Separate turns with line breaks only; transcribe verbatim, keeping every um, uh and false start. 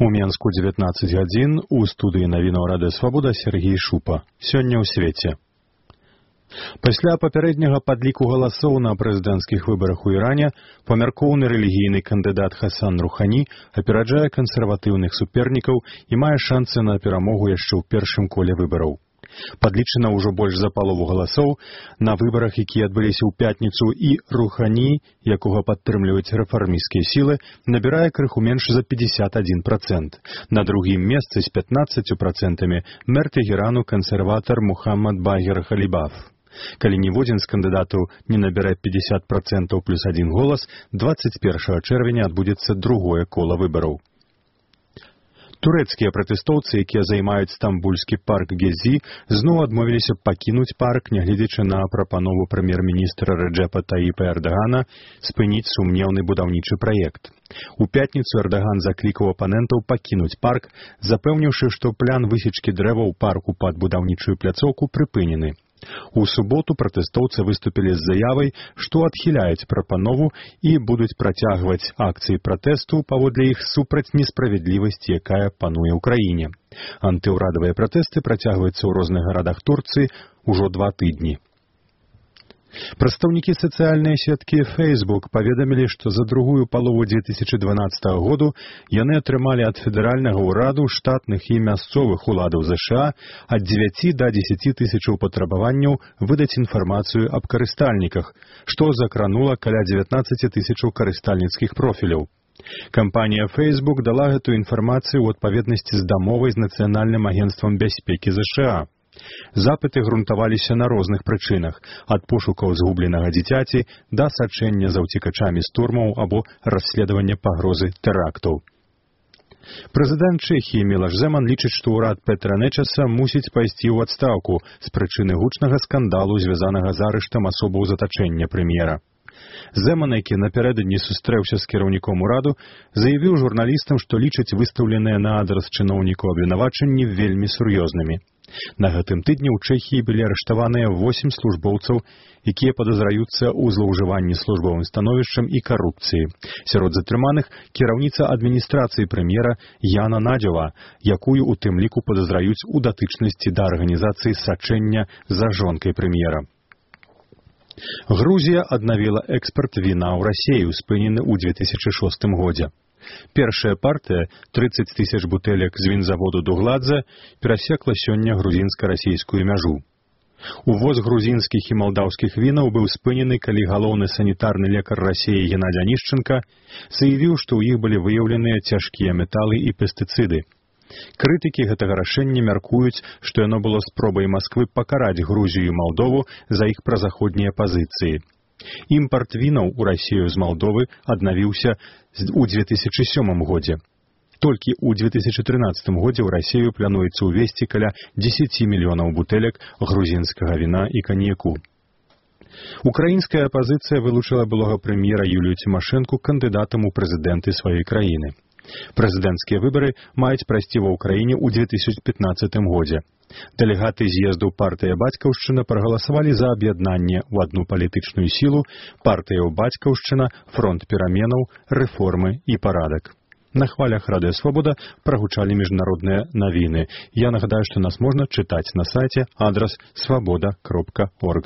У Менску дзевятнаццаць гадзін, у студыі навінаў Радыё Свабода Сергей Шупа. Сёння ў свеце. Пасля папярэдняга падліку галасоў на прэзідэнцкіх выбарах у Іране памяркоўны рэлігійны кандыдат Хасан Рухані апераджае кансерватыўных супернікаў і мае шансы на перамогу яшчэ ў першым коле выбараў. Падлічана ўжо больш за палову галасоў на выбарах, якія адбыліся ў пятніцу, і Рухані, якога падтрымліваюць рэфармісцкія сілы, набірае крыху менш за пятьдесят один процент. На другім месцы з пятнаццатью процентамі мэр Тегерану кансерватар Мухаммад Багер Халібаф. Калі ніводзін з кандыдатаў не набірае пятьдесят процентаў плюс один голас, двадцать першага чэрвеня адбудзецца другое кола выбараў. Турэцкія пратэстоўцы, якія займаюць стамбульскі парк Гезі, зноў адмовіліся пакінуць парк, нягледзячы на прапанову прэм'ер-міністра Рэджэпа Таіпа Эрдагана спыніць сумнеўны будаўнічы праект. У пятніцу Эрдаган заклікаў апанентаў пакінуць парк, запэўніўшы, што план высечкі дрэваў парку пад будаўнічую пляцоўку прыпынены. У суботу пратэстоўцы выступілі з заявай, што адхіляюць прапанову і будуць працягваць акцыі пратэсту паводле іх супраць несправядлівасці, якая пануе ў краіне. Антыўрадавыя пратэсты працягваюцца ў розных гарадах Турцыі ўжо два тыдні. Прадстаўнікі сацыяльнай сеткі Facebook паведамілі, што за другую палову две тысячы дванаццатага году яны атрымалі ад федэральнага ўраду, штатных і мясцовых уладаў ЗША ад дзевяці да дзесяці тысячаў патрабаванняў выдаць інфармацыю аб карыстальніках, што закранула каля дзевятнаццаць тысячаў карыстальніцкіх профіляў. Кампанія Facebook дала гэтую інфармацыю ў адпаведнасці з дамовай з Нацыянальным агенцтвам бяспекі ЗША. Запыты грунтаваліся на розных прычынах, ад пошукаў згубленага дзіцяці да сачэння за ўцекачамі з турмаў або расследавання пагрозы тэрактаў. Прэзідэнт Чэхіі Мілаш Зэман лічыць, што ўрад Петра Нечаса мусіць пайсці ў адстаўку з прычыны гучнага скандалу, звязанага з арыштам асобаў затачэння прэм'ера. Зэман, які напярэдадні сустрэўся з кіраўніком ураду, заявіў журналістам, што лічыць выстаўленыя на адрас чыноўнікаў абвінавачанні вельмі сур'ёзнымі. На гэтым тыдні ў Чэхіі былі арыштаваныя восем службоўцаў, якія падазраюцца ў злоўжыванні службовым становішчам і карупцыі. Сярод затрыманых кіраўніца адміністрацыі прэм'ера Яна Надзёва, якую у тым ліку падазраюць у датычнасці да арганізацыі сачэння за жонкай прэм'ера. Грузія аднавіла экспарт віна ў Расею, спынены ў две тысячы шостым годзе. Першая партыя, трыццаць тысяч бутэлек з вінзаводу Дугладзе, перасекла сёння грузінска-расейскую мяжу. Увоз грузінскіх і малдаўскіх вінаў быў спынены, калі галоўны санітарны лекар Расеі Геннадзь Анішченка заявіў, што ў іх былі выяўленыя цяжкія металы і пестыцыды. Крытыкі гэтага рашэння мяркуюць, што яно было спробай Масквы пакараць Грузію і Малдову за іх празаходнія пазіцыі. Імпарт вінаў у Расею з Малдовы аднавіўся ў две тысячы сёмым годзе. Толькі ў две тысячы трынаццатым годзе ў Расею плануецца ўвесці каля дзесяці мільёнаў бутэлек грузінскага віна і каньяку. Украінская апазіцыя вылучыла былога прэм'ера Юлію Цімашэнку кандыдатам у прэзідэнты сваёй краіны. Прэзідэнцкія выбары маюць прайсці ва ўкраіне ў две тысячы пятнаццатым годзе. Дэлегаты з'езду партыя «Бацькаўшчына» прагаласавалі за аб'яднанне ў адну палітычную сілу партыяў «Бацькаўшчына», «Фронт пераменаў», «Рэформы» і «Парадак». На хвалях Радыё Свабода прагучалі міжнародныя навіны. Я нагадаю, што нас можна чытаць на сайце адрас свабода кропка орг.